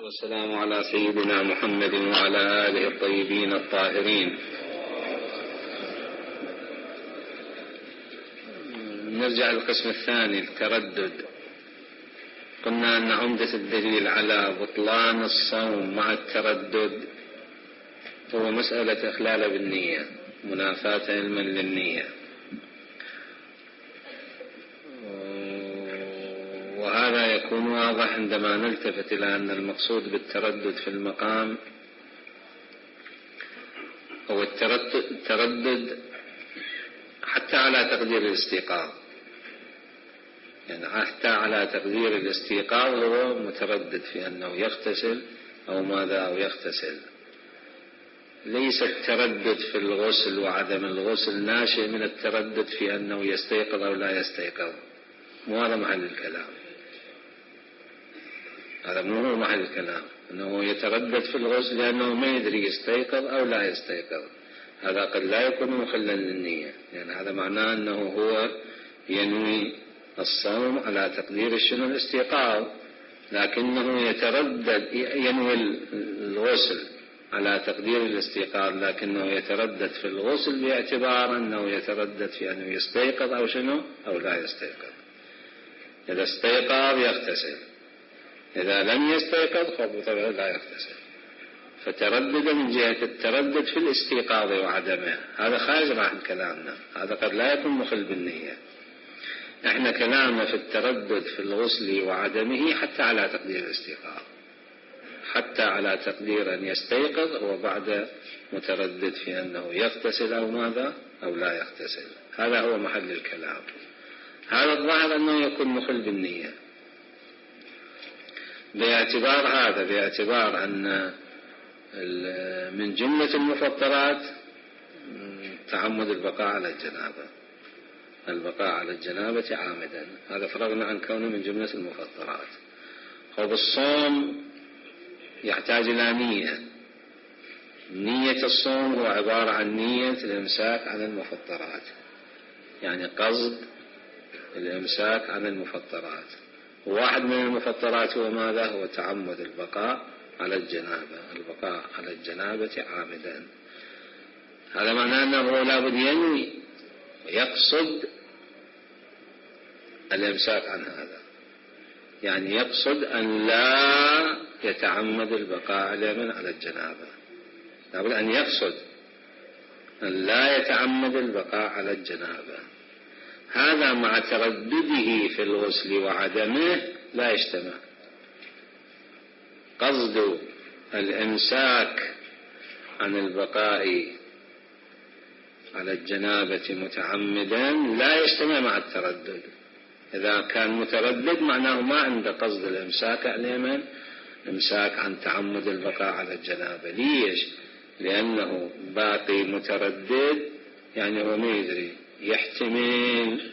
والسلام على سيدنا محمد وعلى آله الطيبين الطاهرين. نرجع للقسم الثاني، التردد. قلنا أن عمدة الدليل على بطلان الصوم مع التردد هو مسألة إخلال بالنية، منافاة علما للنية، وهذا يكون واضح عندما نلتفت إلى أن المقصود بالتردد في المقام هو التردد حتى على تقدير الاستيقاظ، يعني حتى على تقدير الاستيقاظ هو متردد في أنه يغتسل أو ماذا أو يغتسل. ليس التردد في الغسل وعدم الغسل ناشئ من التردد في أنه يستيقظ أو لا يستيقظ، وهذا محل الكلام. هذا مو هو محل الكلام، أنه يتردد في الغسل لأنه ما يدري يستيقظ أو لا يستيقظ. هذا قد لا يكون مخلا للنية، يعني هذا معناه أنه هو ينوي الصوم على تقدير شنو الاستيقاظ، لكنه يتردد ينوي الغسل على تقدير الاستيقاظ، لكنه يتردد في الغسل باعتبار أنه يتردد في أنه يستيقظ أو شنو أو لا يستيقظ. إذا استيقظ يغتسل، إذا لم يستيقظ فبالطبع لا يغتسل. فتردد من جهة التردد في الاستيقاظ وعدمه، هذا خارج عن كلامنا، هذا قد لا يكون مخل بالنية. احنا كلامنا في التردد في الغسل وعدمه حتى على تقدير الاستيقاظ، حتى على تقدير أن يستيقظ هو بعد متردد في أنه يغتسل أو ماذا أو لا يغتسل. هذا هو محل الكلام. هذا الظاهر أنه يكون مخل بالنية باعتبار هذا، باعتبار أن من جملة المفطرات تعمد البقاء على الجنابة، البقاء على الجنابة عامدا، هذا فرغنا عن كونه من جملة المفطرات. وبالصوم يحتاج إلى نية، نية الصوم هو عبارة عن نية الإمساك عن المفطرات، يعني قصد الإمساك عن المفطرات. واحد من المفطرات هو ماذا؟ هو تعمد البقاء على الجنابة، البقاء على الجنابة عامدا. هذا معناه أنه لابد ينوي ويقصد الإمساك عن هذا، يعني يقصد أن لا يتعمد البقاء على الجنابة، لابد أن يقصد أن لا يتعمد البقاء على الجنابة. هذا مع تردده في الغسل وعدمه لا يجتمع. قصد الإمساك عن البقاء على الجنابة متعمدا لا يجتمع مع التردد. إذا كان متردد معناه ما عنده قصد الإمساك على إمساك عن تعمد البقاء على الجنابة. ليش؟ لأنه باقي متردد، يعني هو ما يدري، يحتمل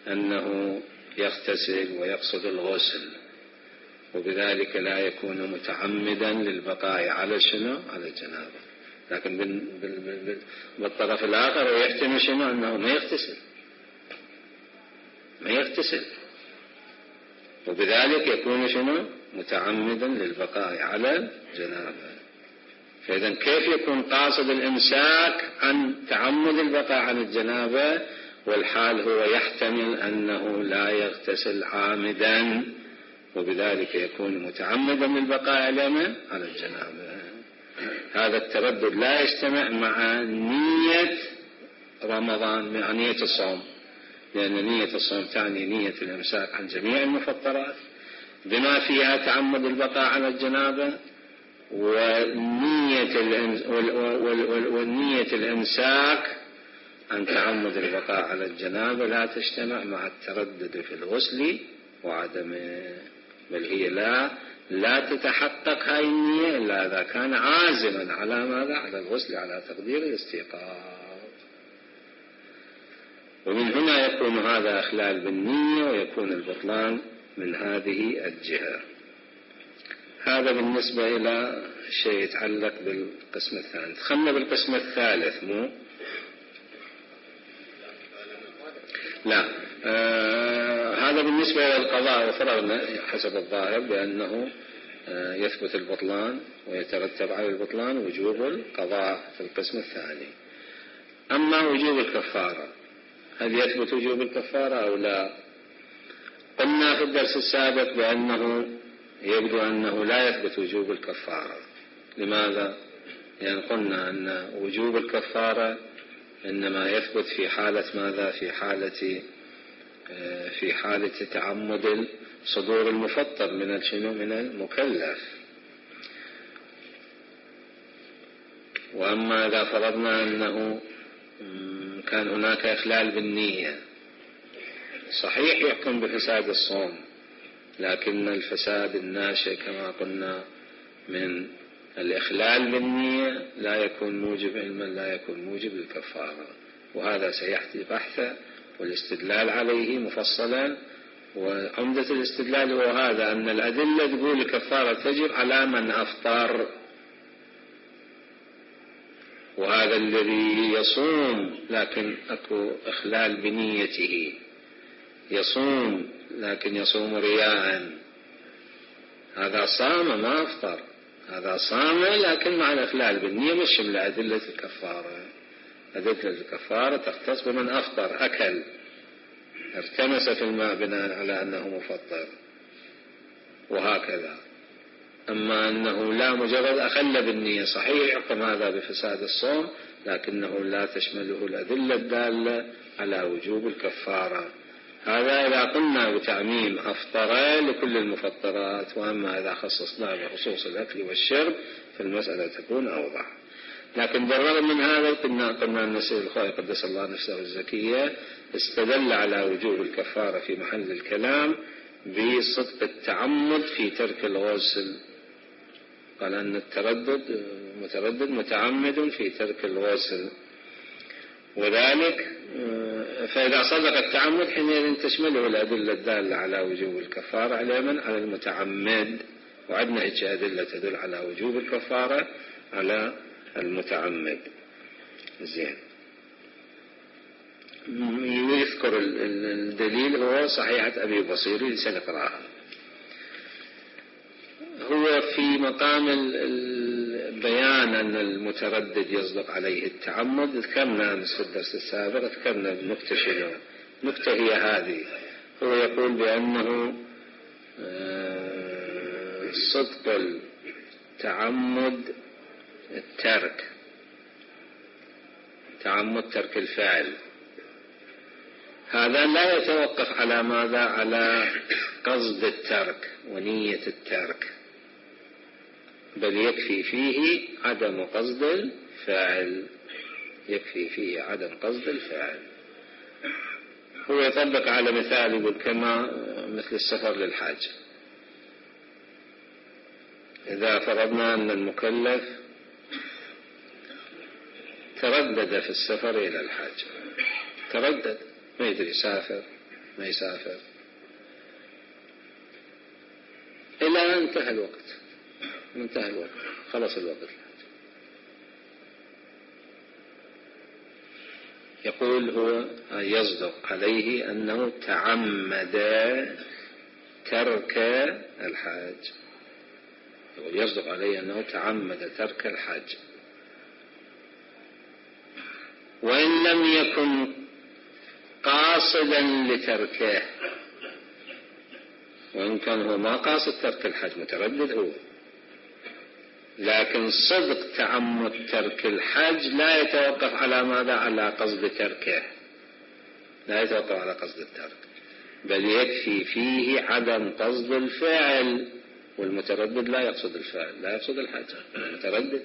أنه يغتسل ويقصد الغسل، وبذلك لا يكون متعمدا للبقاء على شنو؟ على الجنابة. لكن بالطرف الآخر هو يحتمل شنو؟ أنه ما يغتسل، وبذلك يكون شنو؟ متعمدا للبقاء على الجنابة. فإذا كيف يكون قاصد الإمساك عن تعمد البقاء على الجنابة والحال هو يحتمل أنه لا يغتسل عامدا، وبذلك يكون متعمدا للبقاء على الجنابة؟ هذا التردد لا يجتمع مع نية رمضان، مع نية الصوم، لأن نية الصوم تعني نية الإمساك عن جميع المفطرات بما فيها تعمد البقاء على الجنابة، والنية الإمساك عن تعمد البقاء على الجنابة لا تجتمع مع التردد في الغسل وعدمه، بل هي لا تتحقق هاي النية إلا إذا كان عازما على ماذا؟ على الغسل على تقدير الاستيقاظ. ومن هنا يكون هذا إخلال بالنية ويكون البطلان من هذه الجهة. هذا بالنسبة إلى شيء يتعلق بالقسم الثاني. دخلنا بالقسم الثالث. لا، هذا بالنسبة إلى القضاء، وفرغنا حسب الظاهر بأنه يثبت البطلان ويترتب على البطلان وجوب القضاء في القسم الثاني. أما وجوب الكفارة، هل يثبت وجوب الكفارة أو لا؟ قلنا في الدرس السابق بأنه يبدو أنه لا يثبت وجوب الكفارة. لماذا؟ لأن قلنا أن وجوب الكفارة إنما يثبت في حالة ماذا؟ في حالة تعمد صدور المفطر من المكلف. وأما إذا فرضنا أنه كان هناك إخلال بالنية، صحيح يحكم بفساد الصوم، لكن الفساد الناشئ كما قلنا من الإخلال بالنية لا يكون موجب علما، لا يكون موجب للكفارة. وهذا سيحتي بحثا والاستدلال عليه مفصلا. وعمدة الاستدلال هو هذا، أن الأدلة تقول الكفارة تجب على من أفطر، وهذا الذي يصوم لكن أكو إخلال بنيته، يصوم لكن يصوم رياء، هذا صام ما أفطر، هذا صام لكن مع الإخلال بالنية، مش من أدلة الكفارة. أدلة الكفارة تختص بمن أفطر، أكل، ارتمس في الماء بناء على أنه مفطر، وهكذا. أما أنه لا، مجرد أخل بالنية، صحيح يحكم هذا بفساد الصوم، لكنه لا تشمله الأدلة الدالة على وجوب الكفارة. هذا إذا قلنا بتعميم أفطر لكل المفطرات. وأما إذا خصصنا بخصوص الأكل والشرب فالمسألة تكون أوضح. لكن بالرغم من هذا قلنا أن السيد الخوئي قدس الله نفسه الزكية استدل على وجوب الكفارة في محل الكلام بصدق التعمد في ترك الغسل. قال أن متردد متعمد في ترك الغسل، وذلك فإذا صدق التعمد حينئذ تشمله الأدلة الدالة على وجوب الكفارة على من؟ على المتعمد. وعندنا هيك أدلة تدل على وجوب الكفارة على المتعمد. زين، يذكر الدليل هو صحيحة أبي بصيري سنقرأها. هو في مقام البيان أن المتردد يصدق عليه التعمد. ذكرنا في الدرس السابق، ذكرنا النكتة شنو؟ النكتة هي هذه، هو يقول بأنه صدق التعمد الترك، تعمد ترك الفعل، هذا لا يتوقف على ماذا؟ على قصد الترك ونية الترك، بل يكفي فيه عدم قصد الفاعل، يكفي فيه عدم قصد الفاعل. هو يطبق على مثال يقول كما مثل السفر للحج. إذا فرضنا أن المكلف تردد في السفر إلى الحج، تردد، ما يدري يسافر ما يسافر، إلى أن انتهى الوقت، منتهى الوقت، خلص الوقت. يقول هو يصدق عليه أنه تعمد ترك الحج، يقول يصدق عليه أنه تعمد ترك الحج، وإن لم يكن قاصدا لتركه، وإن كان هو ما قاصد ترك الحج، متردد هو، لكن صدق تعمد ترك الحج لا يتوقف على ماذا؟ على قصد تركه، لا يتوقف على قصد الترك، بل يكفي فيه عدم قصد الفعل. والمتردد لا يقصد الفعل، لا يقصد الحج، المتردد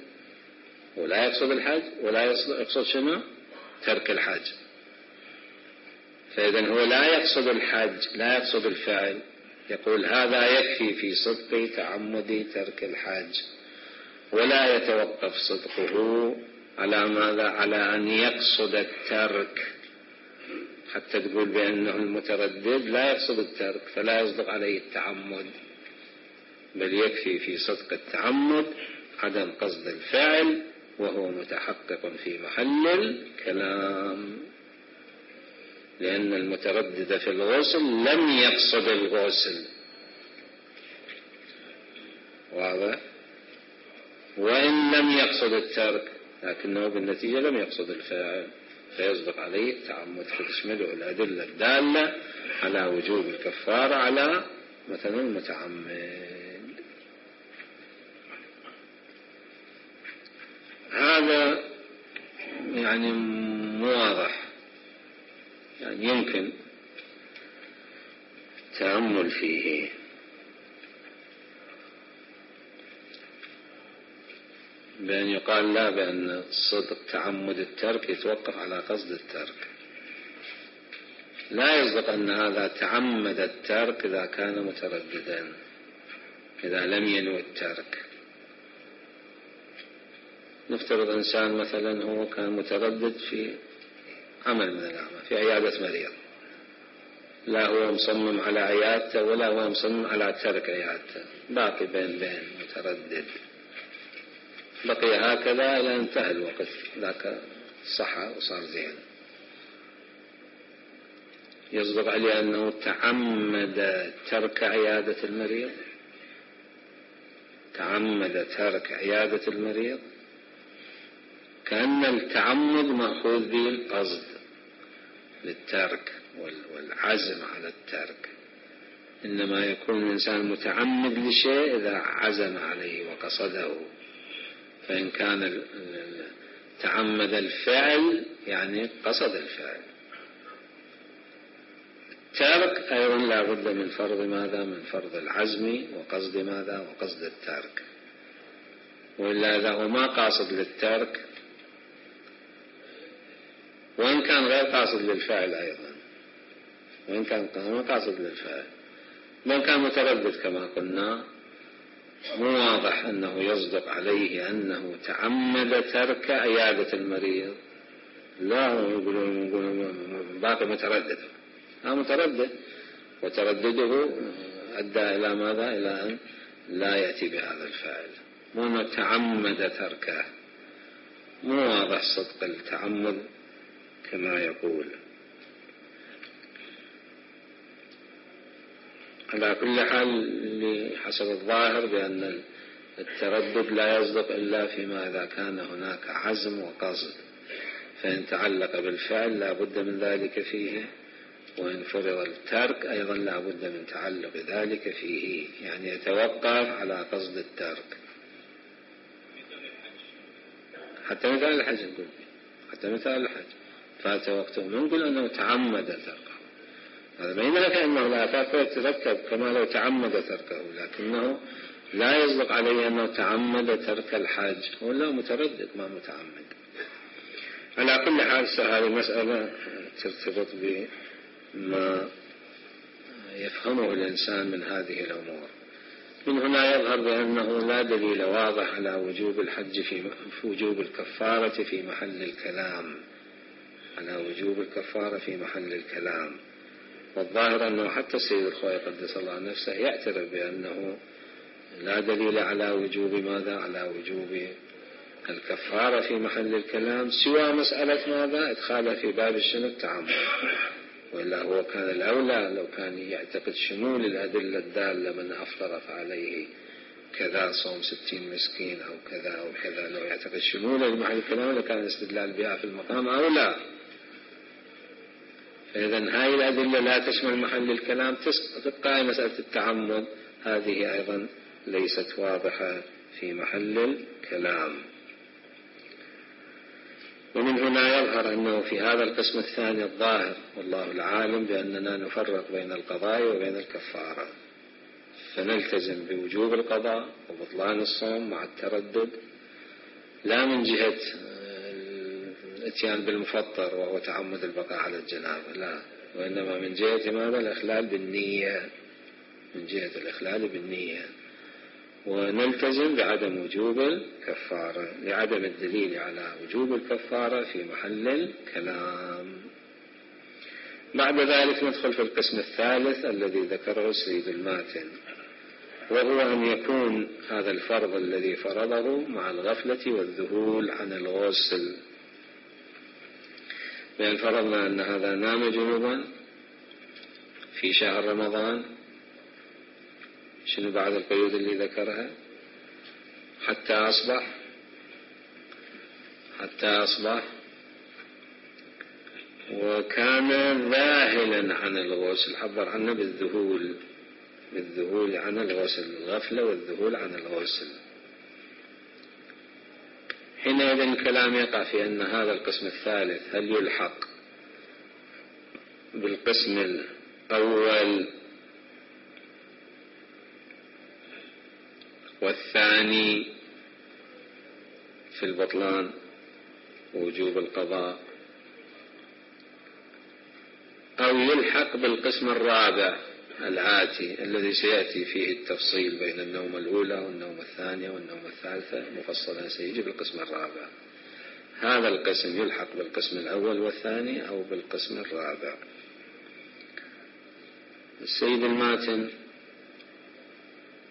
ولا يقصد الحج ولا يقصد شنو؟ ترك الحج. فإذا هو لا يقصد الحج، لا يقصد الفعل. يقول هذا يكفي في صدق تعمد ترك الحج، ولا يتوقف صدقه على ماذا؟ على أن يقصد الترك، حتى تقول بأنه المتردد لا يقصد الترك فلا يصدق عليه التعمد، بل يكفي في صدق التعمد عدم قصد الفعل، وهو متحقق في محل الكلام، لأن المتردد في الغسل لم يقصد الغسل، واضح. وإن لم يقصد الترك لكنه بالنتيجة لم يقصد الفعل فيصدق عليه التعمد، فتشمله الأدلة الدالة على وجوب الكفارة على مثلا المتعمد. هذا يعني مو واضح، يعني يمكن التأمل فيه. بأن يقال لا، بأن صدق تعمد الترك يتوقف على قصد الترك، لا يصدق أن هذا تعمد الترك إذا كان مترددا، إذا لم ينوي الترك. نفترض إنسان مثلا هو كان متردد في عمل من الأعمال، في عيادة مريض، لا هو مصمم على عيادته ولا هو مصمم على ترك عيادته، باقي بين متردد، بقي هكذا إلى انتهى الوقت، ذاك صحى وصار زين. يصدق عليه أنه تعمد ترك عيادة المريض، تعمد ترك عيادة المريض، كأن التعمد مأخوذ به القصد للترك والعزم على الترك. إنما يكون الإنسان متعمد لشيء إذا عزم عليه وقصده، فإن كان تعمد الفعل يعني قصد الفعل. الترك أيضا لا بد من فرض ماذا؟ من فرض العزم وقصد ماذا؟ وقصد الترك. وإلا إذا هو ما قاصد للترك، وإن كان غير قاصد للفعل أيضا، وإن كان ما قاصد للفعل، وإن كان متردد كما قلنا، مو واضح أنه يصدق عليه أنه تعمد ترك عيادة المريض. لا، يقولون باقي متردد، متردد، وتردده أدى إلى ماذا؟ إلى أن لا يأتي بهذا الفعل، مو تعمد تركه. مو واضح صدق التعمد كما يقول. على كل حال حسب الظاهر بأن التردد لا يصدق إلا فيما إذا كان هناك عزم وقصد، فإن تعلق بالفعل لا بد من ذلك فيه، وإن فرض الترك أيضا لا بد من تعلق ذلك فيه، يعني يتوقف على قصد الترك. حتى مثال الحج نقول، حتى مثال الحج فات وقته نقول أنه تعمد تركه، هذا ما يملك أنه لا تركه يتركب كما لو تعمد تركه، لكنه لا يصدق عليه أنه تعمد ترك الحج، هو لا متردد ما متعمد. على كل حال هذه المسألة ترتبط بما يفهمه الإنسان من هذه الأمور. من هنا يظهر بأنه لا دليل واضح على وجوب الحج في وجوب الكفارة في محل الكلام، على وجوب الكفارة في محل الكلام. والظاهر أنه حتى السيد الخوئي قدس الله نفسه يعترف بأنه لا دليل على وجوب ماذا؟ على وجوب الكفارة في محل الكلام، سوى مسألة ماذا؟ إدخالها في باب الشنو؟ التعمد. وإلا هو كان الأولى لو كان يعتقد شمول الأدلة الدالة من أفطر فعليه كذا صوم 60 مسكين أو كذا أو كذا، لو يعتقد شمول لمحل الكلام لكان الاستدلال بها في المقام أولى. فإذا هاي الأدلة لا تشمل محل الكلام، تبقى مسألة التعمد هذه أيضا ليست واضحة في محل الكلام. ومن هنا يظهر أنه في هذا القسم الثاني الظاهر والله العالم بأننا نفرق بين القضاء وبين الكفارة، فنلتزم بوجوب القضاء وبطلان الصوم مع التردد، لا من جهة الاتيان بالمفطر وهو تعمد البقاء على الجنابة، لا، وإنما من جهة ماذا؟ الإخلال بالنية، من جهة الإخلال بالنية. ونلتزم بعدم وجوب الكفارة لعدم الدليل على وجوب الكفارة في محل الكلام. بعد ذلك ندخل في القسم الثالث الذي ذكره السيد الماتن، وهو أن يكون هذا الفرض الذي فرضه مع الغفلة والذهول عن الغسل. بأن فرضنا أن هذا نام جنوبا في شهر رمضان، شنو بعد القيود اللي ذكرها؟ حتى أصبح وكان ذاهلا عن الغسل، عبر عنه بالذهول عن الغسل، الغفلة والذهول عن الغسل. حينئذ الكلام يقع في أن هذا القسم الثالث هل يلحق بالقسم الأول والثاني في البطلان ووجوب القضاء، أو يلحق بالقسم الرابع الآتي الذي سيأتي فيه التفصيل بين النوم الأولى والنوم الثانية والنوم الثالثة مفصلا، سيجي بالقسم الرابع. هذا القسم يلحق بالقسم الأول والثاني أو بالقسم الرابع. السيد الماتن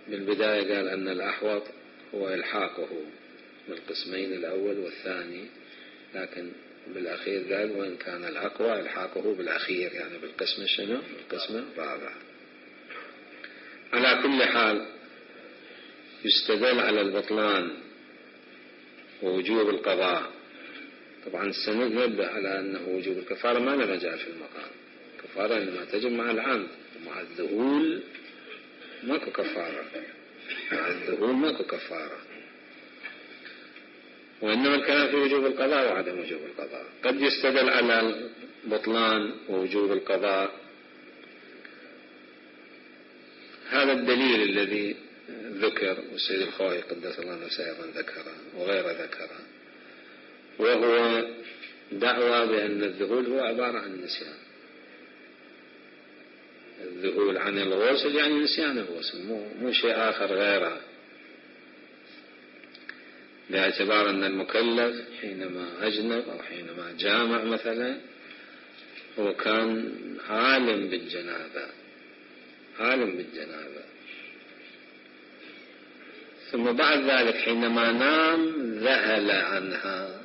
بالبداية قال أن الأحوط هو إلحاقه بالقسمين الأول والثاني، لكن بالأخير قال وإن كان الأقوى إلحاقه بالأخير، يعني بالقسم شنو؟ بالقسم الرابع. على كل حال يستدل على البطلان ووجوب القضاء. طبعا السند ينبه على أنه وجوب الكفارة ما له مجال في المقام، الكفارة إنما تجب مع العمد، ومع الذهول ماكو كفارة، مع الذهول ماكو كفارة، وإنما الكلام في وجوب القضاء وعدم وجوب القضاء. قد يستدل على البطلان ووجوب القضاء هذا الدليل الذي ذكر والسيد الخوئي قدس الله نفسه أيضا ذكره وغير ذكره، وهو دعوى بأن الذهول هو عبارة عن نسيان. الذهول عن الغسل يعني نسيان الغسل، مو شيء آخر غيره، باعتبار أن المكلف حينما أجنب أو حينما جامع مثلا هو كان عالم بالجنابة، ثم بعد ذلك حينما نام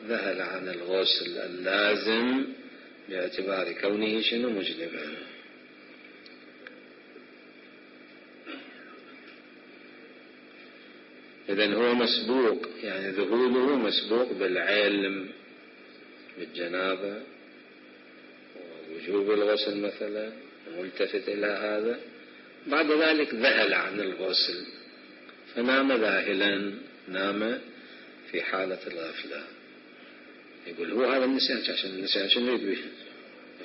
ذهل عن الغسل اللازم باعتبار كونه شنو؟ مجنبا. إذن هو مسبوق، يعني ذهوله مسبوق بالعلم بالجنابة ووجوب الغسل مثلا، وملتفت إلى هذا، بعد ذلك ذهل عن الغسل فنام ذاهلا، نام في حالة الغفلة. يقول هو هذا النسيان، عشان النسيان شنو يريد به؟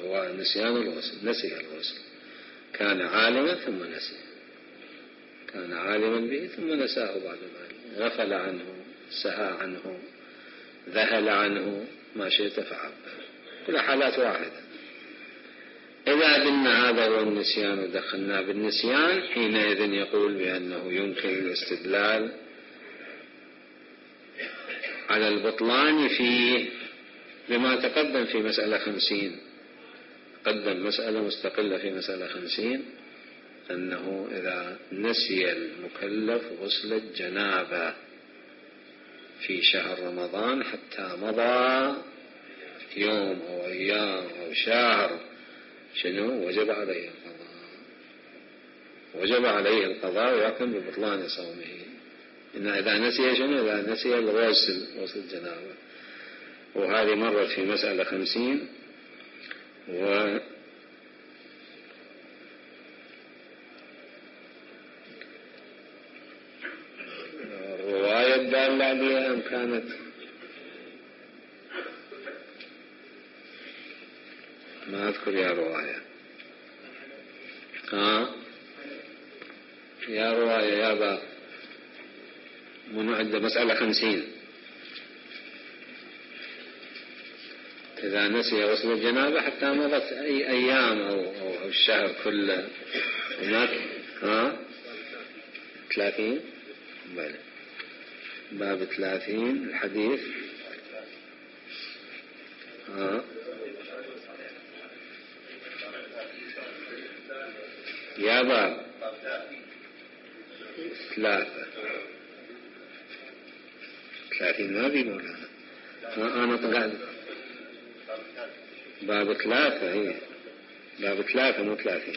هو نسيان الغسل، نسي الغسل، كان عالما ثم نسي، كان عالما به ثم نساه بعد ذلك، غفل عنه، سهى عنه، ذهل عنه، ما شئت فعل، كل حالات واحدة. إذا قلنا هذا هو النسيان ودخلنا بالنسيان، حينئذ يقول بأنه يمكن الاستدلال على البطلان فيه بما تقدم في مسألة 50. قدم مسألة مستقلة في مسألة 50 أنه إذا نسي المكلف غسل الجنابة في شهر رمضان حتى مضى يوم أو أيام أو شهر، شنو؟ وجب عليه القضاء ويحكم ببطلان صومه. إن إذا نسي شنو؟ إذا نسي غسل الجنابة. وهذه مرت في مسألة 50. والرواية الدالة عليها أم كانت ما أذكر يا رواية، يا رواية يا باب منو عنده مسألة 50 إذا نسي غسل الجنابة حتى مضت أي أيام أو الشهر كله. هناك 30 بلى باب 30 الحديث يا باب 30 ما في مولانا، أنا طلعت باب 3 هي باب 3 مو 30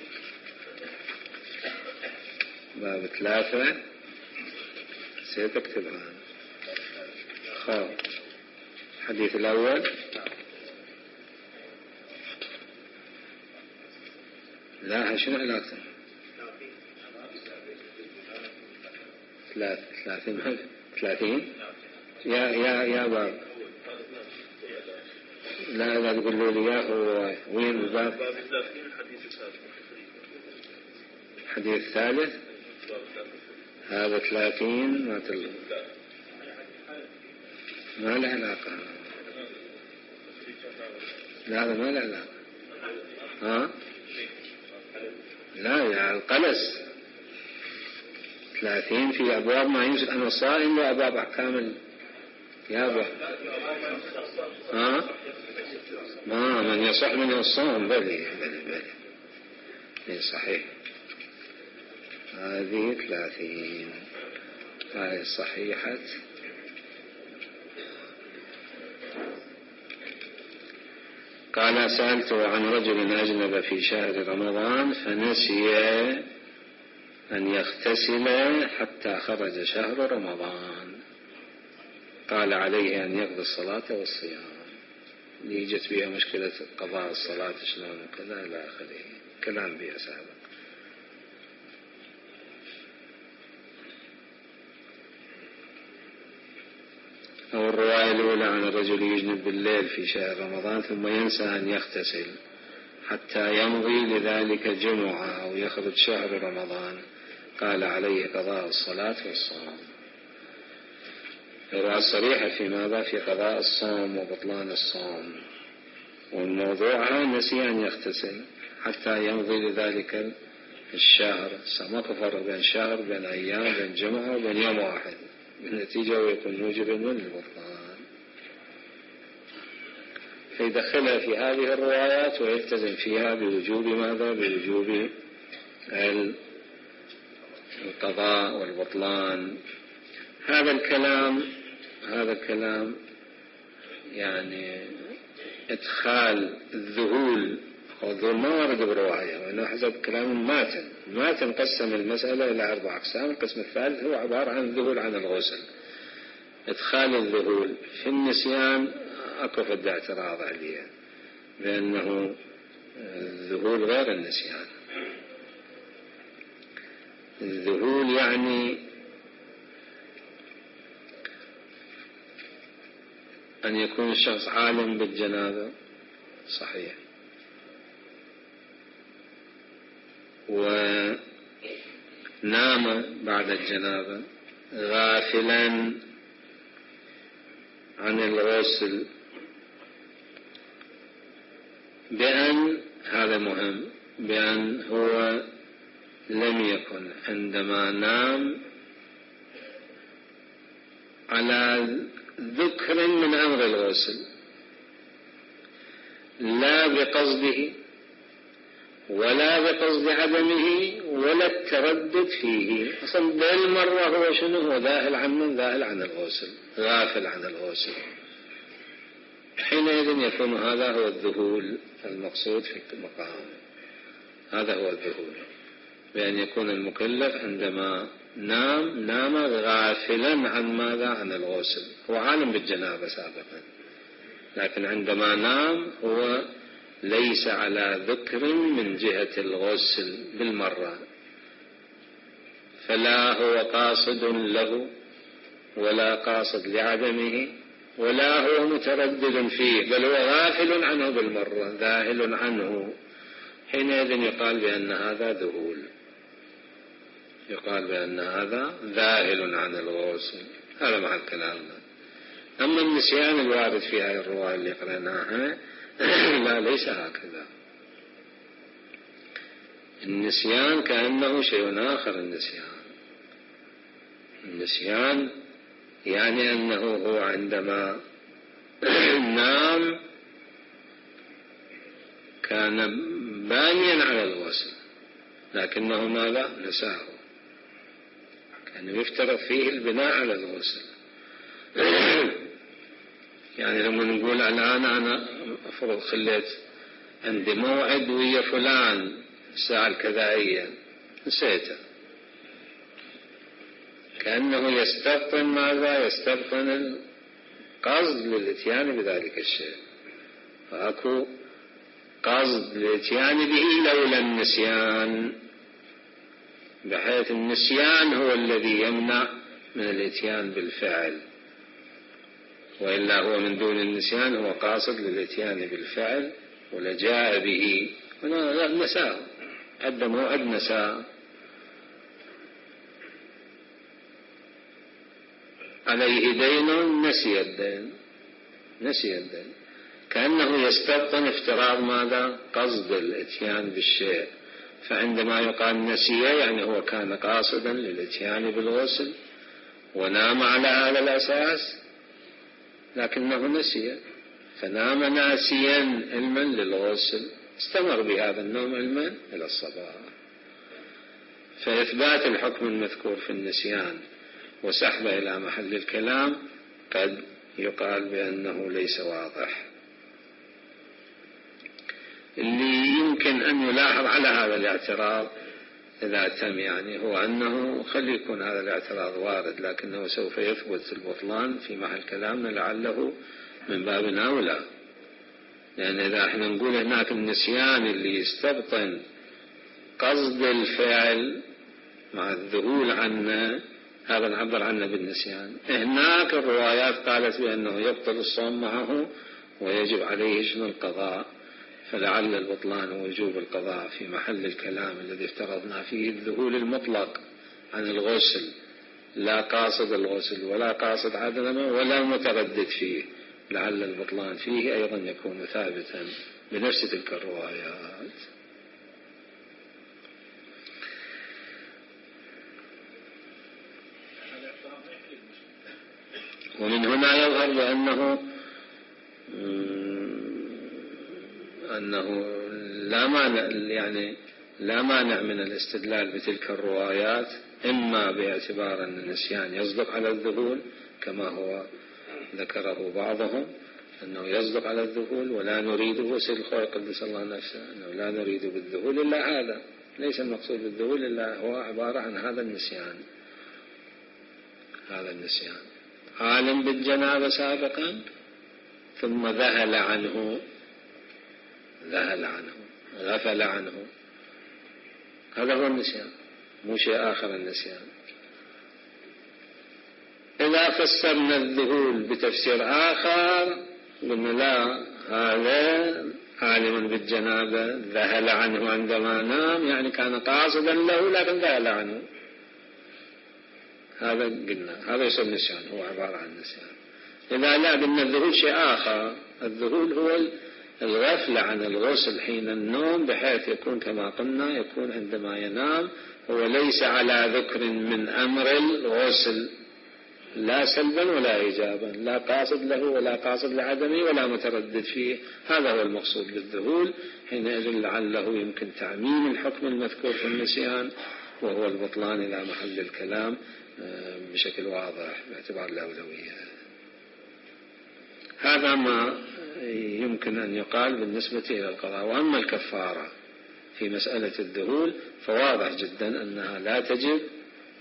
باب 3 سيتكتبها الحديث الأول لا شنو علاقته 30 يا باب لا تقولوا لي يا هو وين الباب الحديث الثالث هذا 30 ما له علاقة لا هذا ما له علاقة لا يا القلس 30 في أبواب ما يمسك أنا صائم وأبواب أحكام يا أبواب ما من يصح منه الصوم بلي صحيح هذه 30 هاي صحيحة. قال سألته عن رجل أجنب في شهر رمضان فنسي أن يغتسل حتى خرج شهر رمضان قال عليه أن يقضي الصلاة والصيام. اللي جت بها مشكلة قضاء الصلاة شلون وكذا إلى آخره كلام بها سابق. أو الرواية الأولى عن الرجل يجنب بالليل في شهر رمضان ثم ينسى أن يغتسل حتى يمضي لذلك جمعة أو يخرج شهر رمضان قال عليه قضاء الصلاة والصوم. الرواية الصريحة في ماذا؟ في قضاء الصوم وبطلان الصوم، والموضوع نسي أن يغتسل حتى يمضي لذلك الشهر. ما تفرق بين شهر بين أيام بين جمعة وبين يوم واحد، بالنتيجة ويكون موجبا للبطلان. فيدخلها في هذه الروايات ويلتزم فيها بوجوب ماذا؟ بوجوب القضاء والبطلان. هذا الكلام يعني إدخال الذهول أو الذهول ما ورد برواية، وإنه حسب كلام ماتن قسم المسألة إلى 4 أقسام. القسم الثالث هو عبارة عن الذهول عن الغسل. إدخال الذهول في النسيان أكو فد اعتراض عليه بأنه الذهول غير النسيان. الذهول يعني أن يكون الشخص عالم بالجنابة صحيح ونام بعد الجنابة غافلا عن الغسل بأن هذا مهم بأن هو لم يكن عندما نام على ذكر من أمر الغسل لا بقصده ولا بقصد عدمه ولا التردد فيه. أصلا بالمرة هو شنو؟ هو ذاهل عن الغسل، غافل عن الغسل. حينئذ يكون هذا هو الذهول المقصود في المقام. هذا هو الذهول، بأن يكون المكلف عندما نام غافلا عن ماذا؟ عن الغسل. هو عالم بالجنابة سابقا، لكن عندما نام هو ليس على ذكر من جهة الغسل بالمرة، فلا هو قاصد له ولا قاصد لعدمه ولا هو متردد فيه، بل هو غافل عنه بالمرة، ذاهل عنه. حينئذ يقال بأن هذا ذهول، يقال بأن هذا ذاهل عن الغسل. هذا مع كلامنا. أما النسيان الوارد في هذه الرواية اللي قرأناها لا، ليس هكذا. النسيان كأنه شيء آخر. النسيان يعني أنه هو عندما نام كان بانيا على الغسل لكنه ماذا؟ نساه. كان يفترض فيه البناء على الغسل. يعني لما نقول الآن أنا أفرض خليت عندي موعد ويا فلان الساعة الكذائية نسيته، كأنه يستبطن ماذا؟ يستبطن قصد للاتيان بذلك الشيء، فأكو قصد للاتيان به لولا النسيان، بحيث النسيان هو الذي يمنع من الاتيان بالفعل، وإلا هو من دون النسيان هو قاصد للاتيان بالفعل ولجاء به نساه، عد موعد نساه. عليه دين نسي الدين، كأنه يستبطن افتراض ماذا؟ قصد الاتيان بالشيء. فعندما يقال نسي يعني هو كان قاصدا للاتيان بالغسل ونام على هذا الأساس لكنه نسي، فنام ناسيا علما للغسل، استمر بهذا النوم علما إلى الصباح. فإثبات الحكم المذكور في النسيان وسحبه إلى محل الكلام قد يقال بأنه ليس واضح. اللي يمكن أن يلاحظ على هذا الاعتراض إذا تم يعني هو أنه خلي يكون هذا الاعتراض وارد، لكنه سوف يثبت البطلان في محل كلامنا لعله من باب أولى، لأن إذا احنا نقول هناك النسيان اللي يستبطن قصد الفعل مع الذهول عنه، هذا نعبر عنه بالنسيان. هناك الروايات قالت بأنه يبطل الصوم معه ويجب عليه شنو القضاء، فلعل البطلان ووجوب القضاء في محل الكلام الذي افترضنا فيه الذهول المطلق عن الغسل، لا قاصد الغسل ولا قاصد عدمه ولا متردد فيه، لعل البطلان فيه أيضا يكون ثابتا بنفس تلك الروايات. ومن هنا يظهر بأنه لا مانع من الاستدلال بتلك الروايات، إما باعتبار أن النسيان يصدق على الذهول كما هو ذكره بعضهم أنه يصدق على الذهول، ولا نريده سيد الخوي قدس الله نفسه أنه لا نريد بالذهول إلا هذا، ليس المقصود بالذهول إلا هو عبارة عن هذا النسيان. عالم بالجنابة سابقا ثم ذهل عنه غفل عنه، هذا هو النسيان، مو شيء آخر النسيان. إذا فسرنا الذهول بتفسير آخر قلنا لا، هذا عالم بالجنابة ذهل عنه عندما نام، يعني كان قاصدا له لكن ذهل عنه، هذا قلنا هذا يسمى النسيان، هو عبارة عن نسيان. إذا لا قلنا الذهول شيء آخر، الذهول هو الغفلة عن الغسل حين النوم، بحيث يكون كما قلنا يكون عندما ينام هو ليس على ذكر من أمر الغسل لا سلبا ولا إيجابا، لا قاصد له ولا قاصد لعدمه ولا متردد فيه، هذا هو المقصود بالذهول. حينئذ لعله يمكن تعميم الحكم المذكور في النسيان وهو البطلان إلى محل الكلام بشكل واضح باعتبار الأولوية. هذا ما يمكن أن يقال بالنسبة إلى القضاء. وأما الكفارة في مسألة الذهول فواضح جدا أنها لا تجب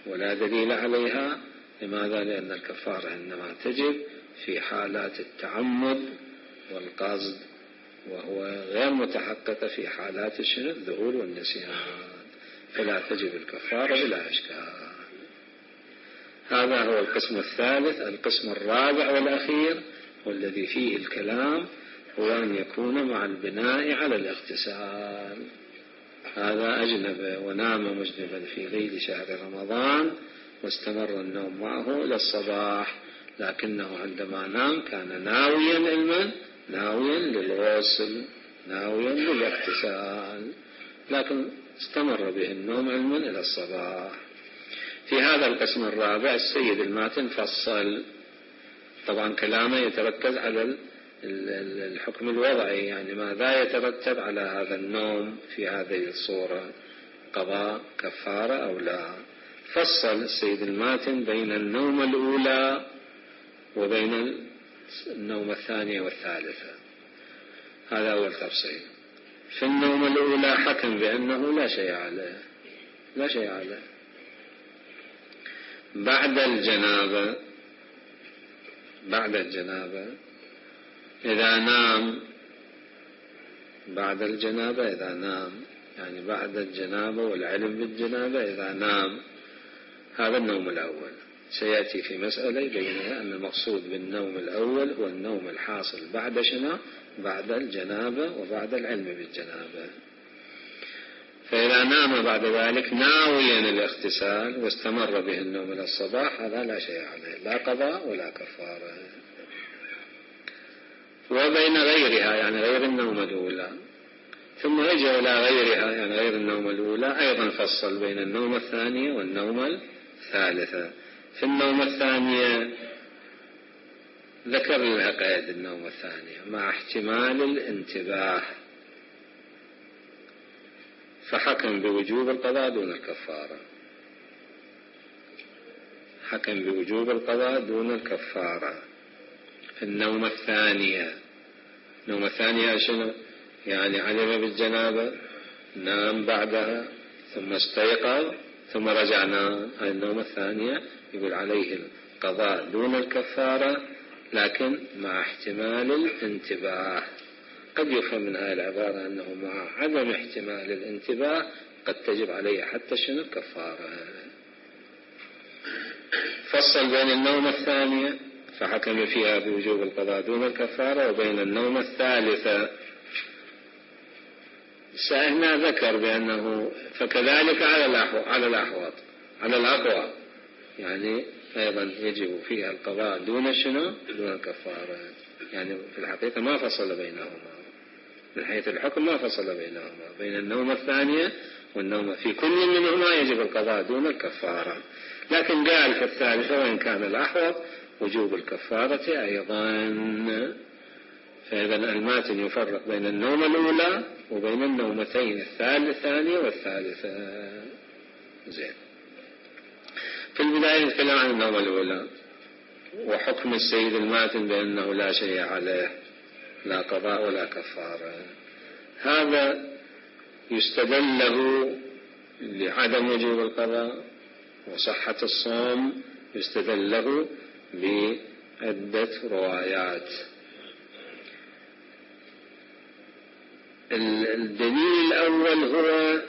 ولا دليل عليها. لماذا؟ لأن الكفارة إنما تجب في حالات التعمد والقصد، وهو غير متحققة في حالات الذهول والنسيان، فلا تجب الكفارة بلا إشكال. هذا هو القسم الثالث. القسم الرابع والأخير والذي فيه الكلام هو أن يكون مع البناء على الاغتسال. هذا أجنب ونام مجنبا في ليل شهر رمضان واستمر النوم معه إلى الصباح، لكنه عندما نام كان ناويا للغسل ناويا للاغتسال، لكن استمر به النوم علما إلى الصباح. في هذا القسم الرابع السيد الماتن فصل، طبعا كلامه يتركز على الحكم الوضعي، يعني ماذا يترتب على هذا النوم في هذه الصورة، قضاء كفارة أو لا. فصل السيد الماتن بين النوم الأولى وبين النوم الثانية والثالثة، هذا أول تفصيل. في النوم الأولى حكم بأنه لا شيء عليه بعد الجنابة، بعد الجنابة إذا نام بعد الجنابة إذا نام، يعني بعد الجنابة والعلم بالجنابة إذا نام، هذا النوم الأول. سيأتي في مسألة يبينها أن المقصود بالنوم الأول هو النوم الحاصل بعد شنو؟ بعد الجنابة وبعد العلم بالجنابة. فإذا نام بعد ذلك ناويا الاغتسال واستمر به النوم إلى الصباح، هذا لا شيء عليه، لا قضاء ولا كفارة. وبين غيرها يعني غير النوم الأولى، ثم رجع إلى غيرها يعني غير النوم الأولى، أيضا فصل بين النوم الثانية والنوم الثالثة. في النوم الثانية ذكر لها قيد النوم الثانية مع احتمال الانتباه، فحكم بوجوب القضاء دون الكفارة، حكم بوجوب القضاء دون الكفارة. في النوم الثانية، النوم الثانية شنو؟ يعني علم بالجنابة، نام بعدها ثم استيقظ ثم رجع نام، هذه النوم الثانية يقول عليه القضاء دون الكفارة، لكن مع احتمال الانتباه. قد يفهم من هذه العبارة أنه مع عدم احتمال الانتباه قد تجب عليه حتى شنو الكفارة. فصل بين النوم الثانية فحكم فيها بوجوب القضاء دون الكفارة، وبين النوم الثالثة هنا ذكر بأنه فكذلك على الأحوط على الأقوى، يعني أيضا يجب فيها القضاء دون شنو؟ دون الكفارة. يعني في الحقيقة ما فصل بينهما من حيث الحكم، ما فصل بينهما بين النوم الثانية والنوم، في كل منهما يجب القضاء دون الكفارة، لكن قال في الثالثة وإن كان الأحوط وجوب الكفارة أيضا. فإذا الماتن يفرق بين النوم الأولى وبين النومتين الثانية والثالثة. زين. في البداية نتكلم عن النوم الأولى وحكم السيد الماتن بأنه لا شيء عليه، لا قضاء ولا كفارة. هذا يستدل له لعدم وجوب القضاء وصحة الصوم، يستدل له بعدة روايات. الدليل الأول هو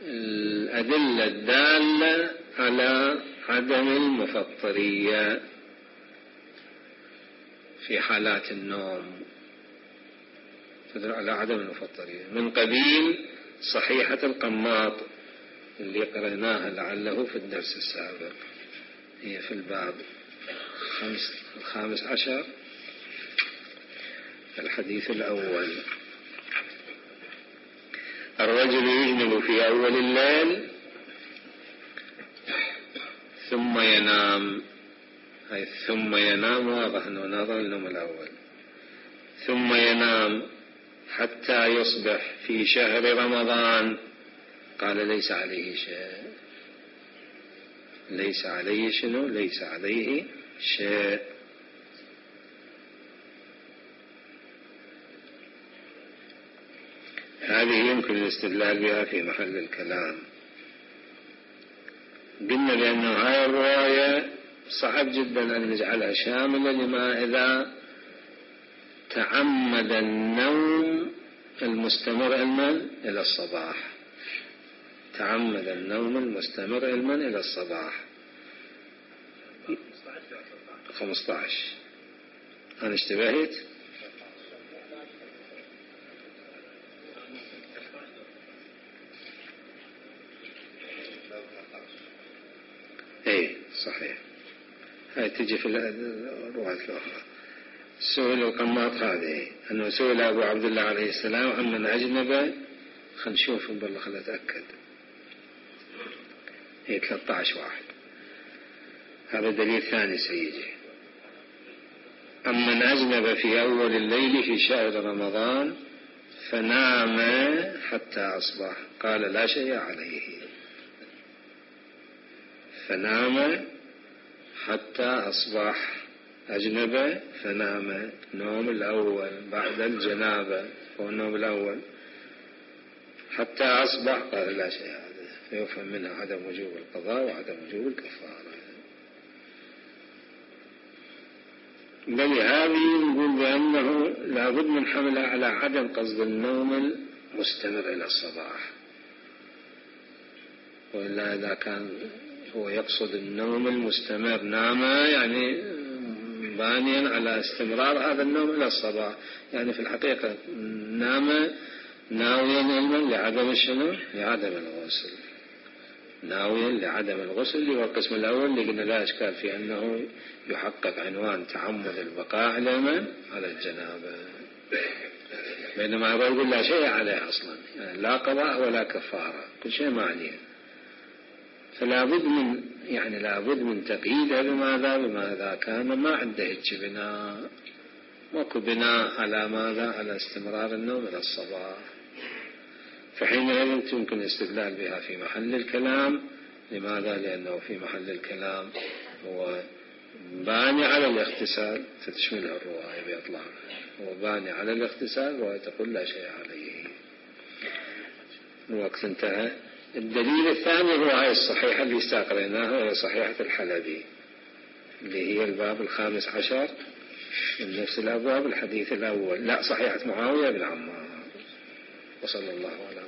الأدلة الدالة على عدم المفطرية في حالات النوم، تدل على عدم المفطرية من قبيل صحيحة القماط اللي قرأناها لعله في الدرس السابق، هي في الباب 15 الحديث الأول. الرجل يجنب في أول الليل ثم ينام، أي ثم ينام واضح أنه ناظر النوم الأول، ثم ينام حتى يصبح في شهر رمضان، قال ليس عليه شيء، ليس عليه شنو؟ ليس عليه شيء. هذه يمكن الاستدلال بها في محل الكلام. قلنا بأنه هذه الرواية صعب جدا أن نجعلها شاملة لما إذا تعمد النوم المستمر علما إلى الصباح، تعمد النوم المستمر علما إلى الصباح. 15 أنا اشتبهت؟ ايه صحيح، هاي تجي في الروايات الأخرى. سئل القماط هذه أنه سئل أبو عبد الله عليه السلام عمن أجنب، خلينا نشوف بالله خلينا نتأكد، هي 13 واحد، هذا دليل ثاني سيجي. أمن أجنب في أول الليل في شهر رمضان فنام حتى أصبح، قال لا شيء عليه، فنام حتى أصبح، أجنب فنام، نوم الأول بعد الجنابة هو النوم الأول، حتى أصبح قال لا شيء عليه، فيفهم منها عدم وجوب القضاء وعدم وجوب الكفارة. لهذه نقول بأنه لابد من حمله على عدم قصد النوم المستمر إلى الصباح، وإلا إذا كان هو يقصد النوم المستمر نام يعني بانيا على استمرار هذا النوم إلى الصباح، يعني في الحقيقة نام ناويا علما لعدم شنو؟ لعدم الغسل، ناويا لعدم الغسل، اللي هو القسم الأول اللي قلنا لا إشكال في أنه يحقق عنوان تعمد البقاء على من؟ على الجنابة، بينما يقول لا شيء عليه أصلا، يعني لا قضاء ولا كفارة، كل شيء ما عليه. فلا بد من يعني لابد من تقييدها بماذا كان ما عنده هيك بناء، ماكو بناء على ماذا؟ على استمرار النوم إلى الصباح، فحينئذ يمكن الاستدلال بها في محل الكلام. لماذا؟ لأنه في محل الكلام هو باني على الاغتسال، فتشمله الرواية بإطلاق، هو باني على الاغتسال وتقول لا شيء عليه. الوقت انتهى. الدليل الثاني هو هاي الصحيحة اللي استقريناها، هي صحيحة الحلبي اللي هي الباب 15 من نفس الأبواب، الحديث الأول، لا صحيحة معاوية بن عمار. وصلى الله عليه